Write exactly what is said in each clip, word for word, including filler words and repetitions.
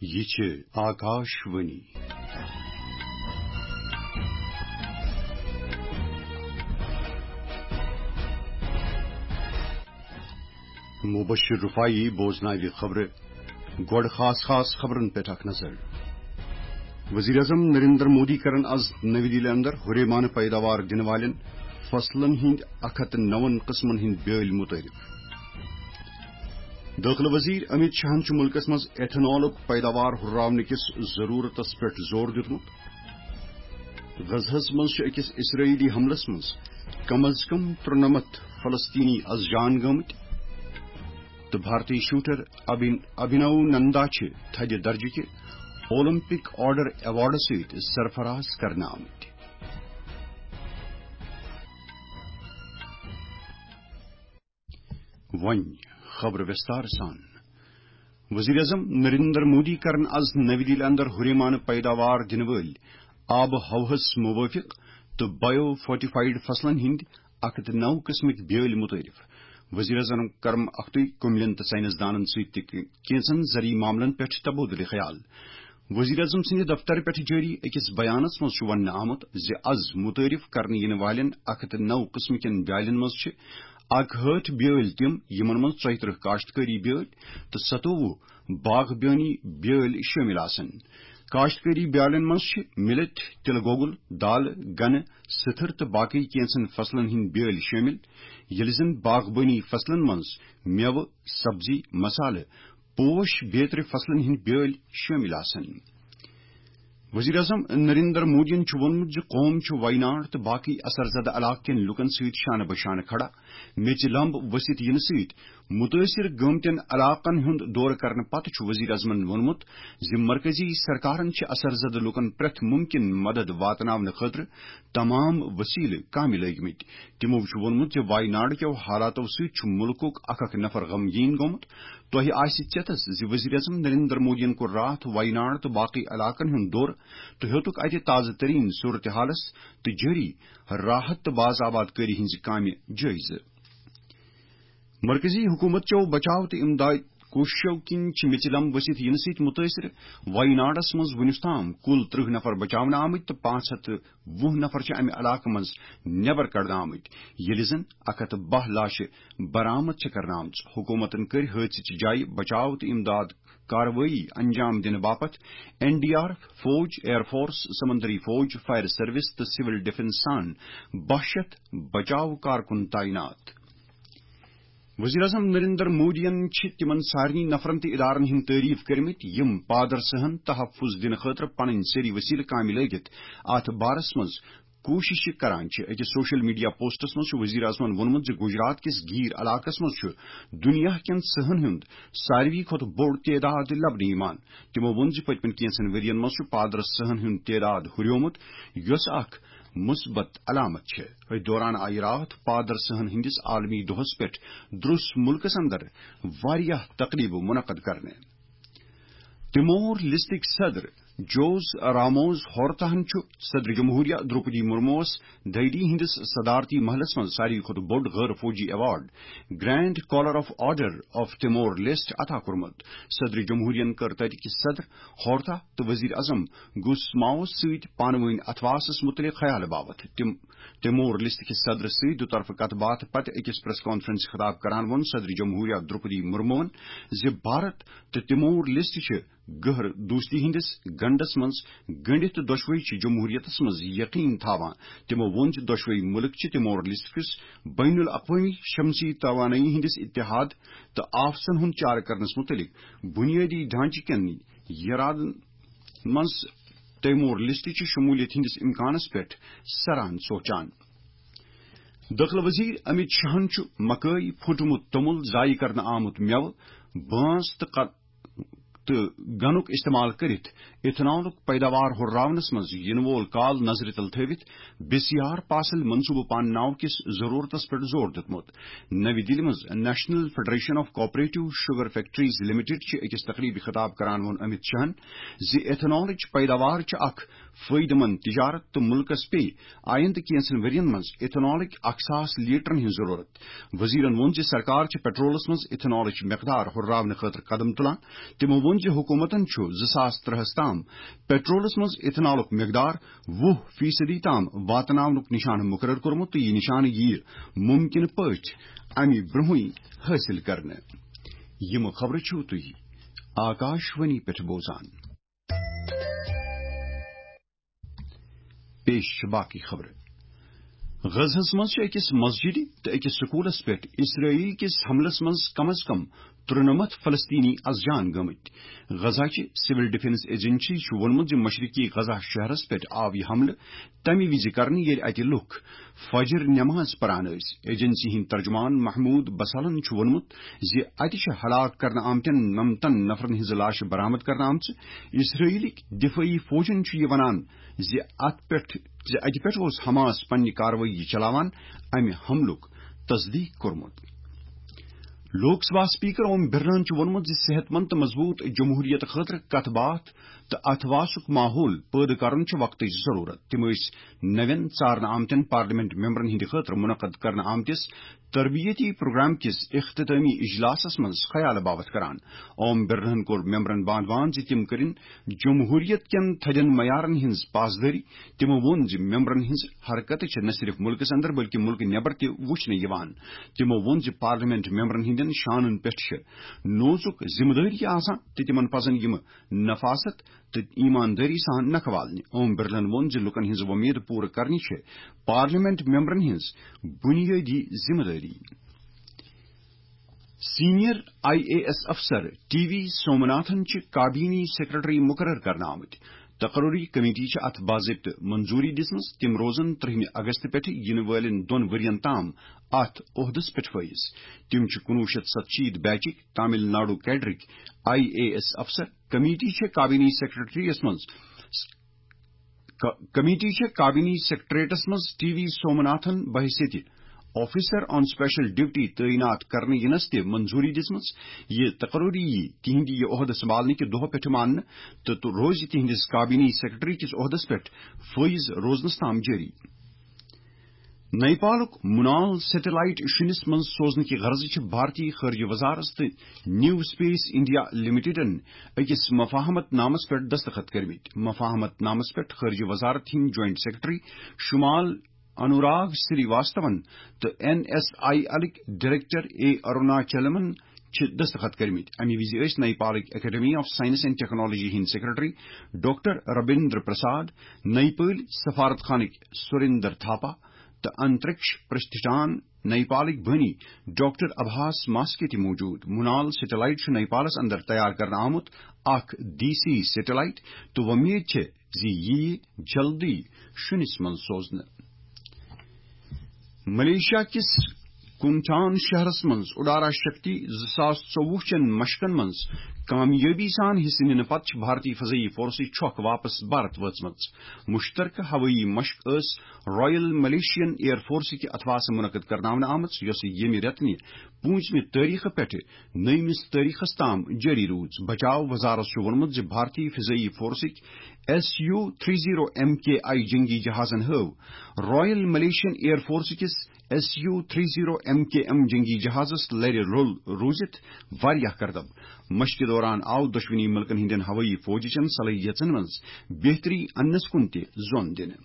یہِ چھِ آکاش وانی۔ مبشر رفاعی بوزناوِ خبرٕ۔ گۄڈٕ خاص خاص خبرن پٮ۪ٹھ اکھ نظر۔ وزیر اعظم نریندر مودی کرن از نوی دِلہِ اندر ہُریمانہٕ پیداوار دِنہٕ والٮ۪ن فصلن ہٕنٛدۍ اکھ ہتھ نون قٕسمن ہٕنٛدۍ بیٲلۍ متعارف۔ دٲخلہٕ وزیر امیت شاہن چھُ مُلکس منٛز ایتھنالُک پیداوار ہُرراونہٕ کِس ضروٗرتس پٮ۪ٹھ زور دیُتمُت۔ غزہس منٛز چھِ أکِس اسرائیلی حملس منٛز کم از کم ترُنمتھ فلسطینی از جان گٲمٕتۍ۔ تہٕ بھارتی شوٹر ابھن-، ابھنو نندا چھِ تھدِ درجہٕ کہِ اولمپک آرڈر ایوارڈ سۭتۍ سرفراز کرنہٕ آمٕتۍ۔ وۄنۍ خبرٕ وِستار سان۔ وزیر اعظم نریندر مودی کرن از نوی دِلہِ اندر ہُریمانہٕ پیداوار دِنہٕ وٲلۍ آبہٕ ہوہس موٲفِق تہٕ بایو فورٹیفائیڈ فصلن ہٕنٛدۍ اکھ ہتھ نو قٕسمٕکۍ بیٲلۍ متعارف۔ وزیر اعظم کرم اختری کُملٮ۪ن تہٕ ساینس دانن سۭتۍ تہِ کینٛژن زرعی معاملن پٮ۪ٹھ تبادلہٕ خیال۔ وزیر اعظم سٕنٛدِ دفتر پٮ۪ٹھ جٲری أکِس بیانس منٛز چھُ وننہٕ آمُت زِ از متعارف کرنہٕ یِنہٕ والٮ۪ن اکھ ہتھ نو قٕسمٕکٮ۪ن بیالٮ۪ن منٛز چھِ اکہٲٹھ بیٲلۍ تِم، یِمن منٛز ژۄیہِ ترٕہ کاشتکٲری بیٲلۍ تہٕ ستووُہ باغ بیٲنی بیٲلۍ شٲمِل آسن۔ کاشتکٲری بیالٮ۪ن منٛز چھِ مِلٹ، تِلہٕ گۄگُل، دالہٕ، گنہٕ، سٕتھٕر تہٕ باقٕے کینٛژن فصلن ہٕنٛدۍ بیٲلۍ شٲمِل، ییٚلہِ زن باغبٲنی فصلن منٛز مٮ۪وٕ، سبزی، مسالہٕ، پوش بیترِ فصلن ہٕنٛدۍ بیٲلۍ شٲمِل آسن۔ وزیر اعظم نریندر مودیَن چھُ ووٚنمُت زِ قوم چھُ ویناڈ تہٕ باقٕے اثر زدٕ علاقہٕ کٮ۪ن لوٗکَن سۭتۍ شانہٕ بہ شانہٕ کھڑا۔ میٚژِ لمب ؤسِتھ یِنہٕ سۭتۍ مُتٲثِر گٲمتٮ۪ن علاقَن ہُنٛد دورٕ کرنہٕ پتہٕ چھُ وزیر اعظمَن ووٚنمُت زِ مرکزی سرکارَن چھِ اثر زدٕ لوٗکَن پرٛٮ۪تھ مُمکِن مدد واتناونہٕ خٲطرٕ تمام وسیلہٕ کامہِ لٲگمٕتۍ۔ تِمَو چھُ ووٚنمُت زِ ویناڈ کٮ۪و حالاتَو سۭتۍ چھُ مُلکُک اکھ اکھ نفر غمگیٖن گوٚمُت۔ تۄہہِ آسہِ چٮ۪تس زِ وزیر اعظم نریندر مودیَن کوٚر راتھ ویناڈ تہٕ باقٕے علاقَن ہُنٛد دورٕ تہٕ ہیوٚتُکھ اَتہِ تازٕ تریٖن صورتحالَس تہٕ جٲری راحت تہٕ باز آباد کٲری ہٕنٛزِ کامہِ جٲیزٕ۔ مرکزی حکومت چٮ۪و بچاو تہٕ امداد کوٗششو کِنۍ چھِ میٚژِ لمب ؤسِتھ یِنہٕ سۭتۍ مُتٲثِر ویناڈس منٛز وُنیُس تام کُل ترٕہ نفر بچاونہٕ آمٕتۍ تہٕ پانٛژھ ہتھ تہٕ وُہ نفر چھِ امہِ علاقہٕ منٛز نٮ۪بر کڑنہٕ آمٕتۍ، ییٚلہِ زن اکھ ہتھ تہٕ باہ لاشہِ برآمد چھِ کرنہٕ آمژٕ۔ حکومتن کٔرۍ حٲدثٕچہِ جایہِ بچاو تہٕ امداد کاروٲیی انجام دِنہٕ باپتھ این ڈی آر ایف، فوج، ایئر فورس، سمندری فوج، فائر سروس تہٕ سول ڈیفنس سان باہ شیتھ بچاو کارکُن تعینات۔ وزیر اعظم نریندر مودیَن چھِ تِمَن سارنٕے نفرَن تہٕ ادارَن ہٕنٛدۍ تعریف کٔرمٕتۍ، یِم پادرسہن تحفظ دِنہٕ خٲطرٕ پنٕنۍ سٲری وسیلہٕ کامہِ لٲگِتھ اَتھ بارس منٛز کوٗشش چھِ کران چھِ۔ أکِس سوشل میڈیا پوسٹس منٛز چھُ وزیر اعظمَن ووٚنمُت زِ گجرات کِس گیٖر علاقس منٛز چھُ دُنیا کٮ۪ن سٕہن ہُنٛد ساروی کھۄتہٕ بوٚڑ تعداد لبنہٕ یِوان۔ تِمَو ووٚن زِ پٔتمٮ۪ن کینٛژن ؤرۍ یَن منٛز چھُ پادرس سٕہن ہُنٛد تعداد ہُریومُت، یۄس اکھ مثبت علامت چھِ۔ أتھۍ دوران آیہِ راتھ پادرسہن ہٕنٛدِس عالمی دۄہس پٮ۪ٹھ درس مُلکس اندر واریاہ تقریبہٕ منعقد کرنہٕ۔ تِمور لسٹٕکۍ صدر جوز راموز ہورتاہن چھُ صدر جمہوریہ دروپدی مرموس دہلی ہٕنٛدِس صدارتی محلس منٛز ساروی کھۄتہٕ بوٚڑ غٲر فوجی award grand collar of order of Timor Leste عطا کوٚرمُت۔ صدر جمہوریہن کٔر تتہِ کہِ صدر ہورتا تہٕ وزیر اعظم گُس ماوس سۭتۍ پانہٕ وٲنۍ اتھواسس مُتعلق خیال باوتھ۔ تِم تِمور لسٹ کِس صدرس سۭتۍ دُطرفہٕ کتھ باتھ پتہٕ أکِس پریس کانفرنس خطاب کران ووٚن صدر جمہوریہ دروپدی مرموہن زِ بھارت تہٕ تِمور لسٹ چھِ گہر دوستی ہٕنٛدِس گنڈس منٛز گٔنڈِتھ تہٕ دۄشوے چھِ جمہوریتس منٛز یقین تھاوان۔ تِمو ووٚن زِ دۄشوے مُلک چھِ تِمور لسٹ کِس بین الاقوٲمی شمسی توانٲیی ہٕنٛدِس اتحاد تہٕ آفسن ہُنٛد چارٕ کرنس مُتعلق بنیٲدی ڈھانچہٕ کٮ۪ن یرادن منٛز تیمور لسٹ چہِ شمولیت ہٕنٛدِس امکانس پٮ۪ٹھ سران سونچان۔ دٲخلہٕ وزیر امیت شاہن چھُ مکٲے، پھُٹمُت توٚمُل، ضایع کرنہٕ آمُت مٮ۪وٕ، بانس تہٕ ق-، تہٕ گنُک استعمال کٔرِتھ ایتھنالُک پیداوار ہُرراونس منٛز یِنہٕ وول کال نظرِ تل تھٲوِتھ بسیار پاسل منصوبہٕ پانناو کِس ضرورتس پٮ۪ٹھ زور دیُتمُت۔ نوی دِلہِ منٛز national federation of cooperative sugar factories limited چہِ أکِس تقریبہِ خطاب کران ووٚن امیت شاہن زِ ایتھنالٕچ پیداوار چھِ اکھ فٲیدٕ مند تجارت تہٕ مُلکَس پیٚیہِ آیندٕ کینٛژن ؤرین منٛز ایتھنالٕکۍ اکھ ساس لیٹرن ہٕنٛز ضروٗرت۔ وزیرن ووٚن زِ سرکار چھِ پیٹرولس منٛز ایتھنالٕچ مقدار ہُرراونہٕ خٲطرٕ قدم تُلان۔ تِمو ووٚن زِ حکوٗمتن چھُ زٕ ساس ترٛہَس تام پیٹرولس منٛز ایتھنالُک مقدار وُہ فیصدی تام واتناونُک نشانہٕ مُقرر کوٚرمُت تہٕ یہِ نشانہٕ یِیہِ مُمکِنہٕ پٲٹھۍ اَمہِ برٛونٛہٕے حٲصِل کرنہٕ۔ یِم خبرٕ چھِو تُہۍ آکاشوانی پٮ۪ٹھ بوزان۔ پیش چھِ باقٕے خبرٕ۔ غزہس منٛز چھِ أکِس مسجدِ تہٕ أکِس سکوٗلس پٮ۪ٹھ اسرائیل کِس حملس منٛز کم از کم ترُنَمَتھ فلسطینی از جان گٔمٕتۍ۔ غزہ چہِ سول ڈیفنس ایجنسی چھُ ووٚنمُت زِ مشرقی غزہ شہرس پٮ۪ٹھ آو یہِ حملہٕ تمہِ وِزِ کرنہٕ، ییٚلہِ اتہِ لُکھ فجر نماز پران ٲسۍ۔ ایجنسی ہٕنٛدۍ ترجمان محمود بسالن چھُ ووٚنمُت زِ اتہِ چھِ ہلاک کرنہٕ آمتٮ۪ن نَمتَن نفرن ہٕنٛزٕ لاشہٕ برآمد کرنہٕ آمژٕ۔ اسرائیلٕکۍ دفٲعی فوجن چھُ یہِ ونان زِ اتھ پٮ۪ٹھ، زِ اتہِ پٮ۪ٹھ اوس حماس پننہِ کاروٲیی چلاوان امہِ حملُک تصدیق کوٚرمُت۔ لوک سبھا اسپیکر اوم برلاہن چھُ ووٚنمُت زِ صحت مند تہٕ مضبوٗط جمہوریت خٲطرٕ کتھ باتھ تہٕ اتھ واسُک ماحول پٲدٕ کرُن چھُ وقتٕچ ضروٗرت۔ تِم ٲسۍ نوٮ۪ن ژارنہٕ آمتٮ۪ن پارلیمنٹ ممبرن ہٕنٛدِ خٲطرٕ منعقد کرنہٕ آمتِس تربیتی پروگرام کِس اختتٲمی اجلاسس منٛز خیال باوتھ کران۔ اوم برلاہن کوٚر ممبرن باند باند زِ تِم کٔرِن جمہوریت کٮ۪ن تھدٮ۪ن معیارن ہٕنٛز پاسدٲری۔ تِمو ووٚن زِ ممبرن ہٕنٛز حرکتہٕ چھِ نہ صرف مُلکس اندر بلکہِ مُلکہٕ نٮ۪بر تہِ وُچھنہٕ یِوان۔ تِمو ووٚن زِ پارلیمنٹ ممبرن ہٕنٛدٮ۪ن شانن پٮ۪ٹھ چھِ نوزُک ذمہٕ دٲری آسان تہٕ تِمن پزن یِم نفاست تہٕ ایماندٲری سان نکھٕ والنہِ۔ اوم برلن ووٚن زِ لوٗکن ہٕنٛز وۄمید پوٗرٕ کرنہِ چھِ پارلیمنٹ ممبرن ہٕنٛز بنیٲدی ذمہٕ دٲری۔ سینئر آئی اے ایس افسر ٹی وی سومناتھن چھِ کابینی سیکرٹری مقرر کرنہٕ آمٕتۍ۔ تقرری کمیٹی چھِ اتھ باضٲبطہٕ منظوری دِژمٕژ۔ تِم روزن ترٛہمہِ اگست پٮ۪ٹھٕ یِنہٕ وٲلٮ۪ن دۄن ؤرین تام اتھ عہدس پٮ۪ٹھ فٲیز۔ تِم چھِ کُنوُہ شیٚتھ ستشیٖتھ بیچٕکۍ تامل ناڈو کیڈرٕکۍ آئی اے ایس افسر۔ کمیٹی چھےٚ کابینی سیکرٹریس منٛز، ک-، کمیٹی چھےٚ کابینی سیکرٹریٹس منٛز ٹی وی سومناتھن بحیثیت آفیسر آن اسپیشل ڈیوٹی تعینات کرنہٕ یِنس تہِ منظوری دِژمٕژ۔ یہِ تقرری یی تِہنٛدِ یہِ عہدٕ سنبھالنہٕ کہِ دۄہ پٮ۪ٹھٕ ماننہٕ تہٕ تہٕ روزِ تِہنٛدِس کابینی سیکرٹری کِس عہدس پٮ۪ٹھ فٲیز روزنس تام جٲری۔ نیپالُک مُنال سیٹلائٹ شُنِس منٛز سوزنہٕ کہِ غرضہٕ چھِ بھارتی خارجہ وزارت تہٕ نیو اسپیس انڈیا لمیٹڈن أکِس مفاہمت نامس پٮ۪ٹھ دستخط کٔرمٕتۍ۔ مفاہمت نامس پٮ۪ٹھ خارجہ وزارت ہٕنٛدۍ جوائنٹ سیکرٹری شمال انوراگ سری واستون تہٕ این ایس آئی ایلٕکۍ ڈائریکٹر اے اروناچلمن چھِ دستخط کٔرمٕتۍ۔ اَمہِ وِزِ ٲسۍ نیپالٕکۍ academy of science and technology ہٕنٛدۍ سیکرٹری ڈاکٹر ربیندر پرساد، نیپٲلۍ سفارت خانٕکۍ سریندر تھاپا تہٕ انترکش پرستھان نیپالٕکۍ بٲنی ڈاکٹر ابھاس ماسکے تہِ موجود۔ مُنال سیٹلائٹ چھُ نیپالس اندر تیار کرنہٕ آمُت اکھ دیسی سیٹلائٹ تہٕ وۄمید چھِ زِ یہِ یِیہِ جلدی شُنِس منٛز سوزنہٕ۔ ملیشیا کِس کُنٹھان شہرس منٛز اُڈارا شکتی زٕ ساس ژوٚوُہ چٮ۪ن مشقن منٛز کامیٲبی سان حصہٕ نِنہٕ پتہٕ چھِ بھارتی فضائی فورسٕچ چھۄکھ واپس بھارت وٲژمٕژ۔ مشترکہٕ ہوٲیی مشق ٲس رائل ملیشین ایئر فورسٕکہِ اتھواسہٕ منعقد کرناونہٕ آمٕژ، یۄسہٕ ییٚمہِ رٮ۪تہٕ نہِ پوٗنٛژمہِ تٲریخہٕ پٮ۪ٹھٕ نٔیمِس تٲریخس تام جٲری روٗز۔ بچاو وزارت چھُ ووٚنمُت زِ بھارتی فضائی فورسٕکۍ S U three zero M K I جنگی جہازن ہٲو رائل ملیشین ایئر فورس کِس S U three zero M K M جنگی جہازس لرِ لوٚل روٗزِتھ واریاہ کردب۔ مشقہِ دوران آو دۄشوٕنی مُلکن ہٕنٛدٮ۪ن ہوٲیی فوجچٮ۪ن صلٲحیژن منٛز بہتری اننس کُن تہِ زون دِنہٕ۔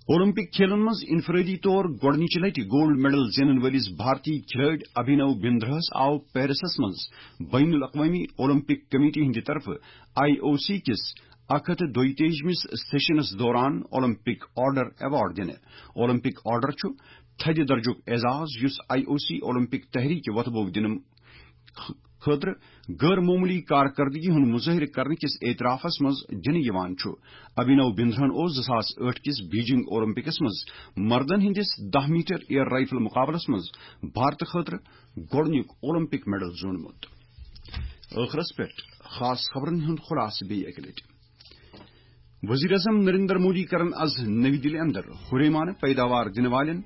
اولمپک کھیلن منٛز انفرادی طور گۄڈٕنِچہِ لٹہِ گولڈ میڈل زینن وٲلِس بھارتی کھلٲڑۍ ابھینو بندرہس آو پیرسس منٛز بین الاقوامی اولمپک کمیٹی ہٕنٛدِ طرفہٕ آئی او سی کِس اکھ ہتھ دۄیتٲجمِس سیشنس دوران اولمپک آرڈر ایوارڈ دِنہٕ۔ اولمپک آرڈر چھُ تھدِ درجُک اعزاز یُس آئی او سی اولمپک تحریک وۄتھٕ بوٚو دِنہٕ خٲطرٕ غٲر معموٗلی کارکردگی ہُنٛد مظٲہرٕ کرنہٕ کِس اعترافس منٛز دِنہٕ یِوان چھُ۔ ابھینو بندرہن اوس زٕ ساس ٲٹھ کِس بیجنگ اولمپکس منٛز مردن ہٕنٛدِس دَہ میٹر ایئر رائفل مقابلس منٛز بھارتہٕ خٲطرٕ گۄڈٕنیُک اولمپک میڈل زیوٗنمُت۔ ٲخرس پٮ۪ٹھ خاص خبرن ہُنٛد خلاصہٕ بیٚیہِ اَکہِ لٹہِ۔ وزیر اعظم نریندر مودی کرن از نئی دلی اندر ہُریمانہٕ پیداوار دِنہٕ والٮ۪ن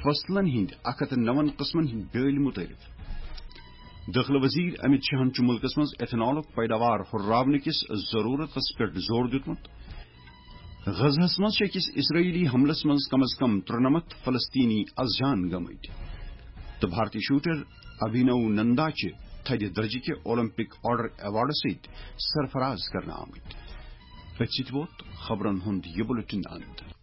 فصلن ہٕنٛدۍ اکھ ہتھ نون قٕسمن ہٕنٛدۍ بیٲلۍ مُتعارف۔ دٲخلہٕ وزیر امت شاہن چھُ مُلکس منٛز ایتھنالُک پیداوار ہُرراونہٕ کِس ضروٗرتس پٮ۪ٹھ زور دیُتمُت۔ غزہس منٛز چھِ أکِس اسرائیلی حملس منٛز کم از کم ترُنمتھ فلسطینی از جان گٔمٕتۍ۔ تہٕ بھارتی شوٹر ابھینو نندا چھِ تھدِ درجہٕ کہِ اولمپک آرڈر ایوارڈ سۭتۍ سرفراز کرنہٕ آمٕتۍ۔ أتھۍ سۭتۍ ووت خبرن ہُنٛد یہِ بُلٹن اند۔